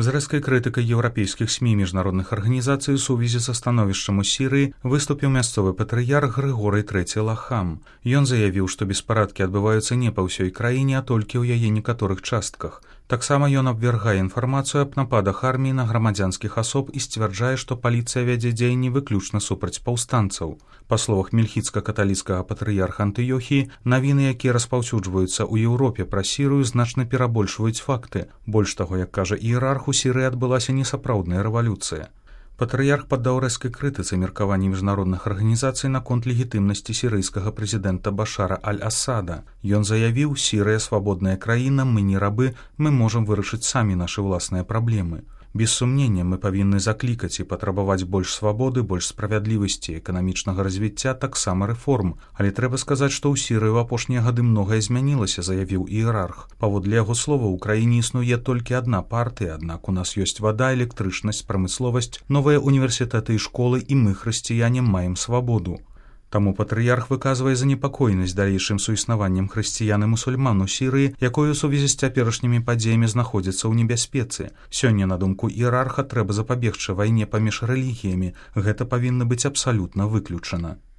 З рэзкай крытыкай еўрапейскіх СМІ і міжнародных арганізацый у сувязі са становішчам у Сірыі выступіў мясцовы патрыярх Грыгорый III Лахам. Ён заявіў, што беспарадкі адбываюцца не па ўсёй краіне, а толькі ў яе некаторых частках. Таксама ён абвяргае інфармацыю аб нападах арміі на грамадзянскіх асоб і сцвярджае, што паліцыя вядзе дзеянні выключна супраць паўстанцаў. Па словах мельхіцка-каталіцкага патрыярха Антыёхіі, навіны, якія распаўсюджваюцца ў Еўропе пра Сірыю, значна перабольшваюць факты. Больш таго, як кажа іерарх, у Сірыі адбылася несапраўдная рэвалюцыя. Патрыярх паддаў рэзкай крытыцы меркаванні міжнародных арганізацый наконт легітымнасці сірыйскага прэзідэнта Башара аль-Асада. Ён заявіў: «Сірыя свабодная краіна, мы не рабы, мы можам вырашыць самі нашы ўласныя праблемы». Без сумнення, мы павінны заклікаць і патрабаваць больш свабоды, больш справядлівасці, эканамічнага развіцця, таксама рэформ. Але трэба сказаць, што ў Сірыі ў апошнія гады многае змянілася, заявіў іерарх. Паводле яго слова, у краіне існуе толькі адна партыя, аднак у нас ёсць вада, электрычнасць, прамысловасць, новыя універсітэты і школы, і мы, хрысціяне, маем свабоду. Таму патрыярх выказвае занепакоенасць далейшым суіснаваннем хрысціян і мусульман у Сірыі, якое ў сувязі з цяперашнімі падзеямі знаходзіцца ў небяспецы. Сёння, на думку іерарха, трэба запабегчы вайне паміж рэлігіямі. Гэта павінна быць абсалютна выключана.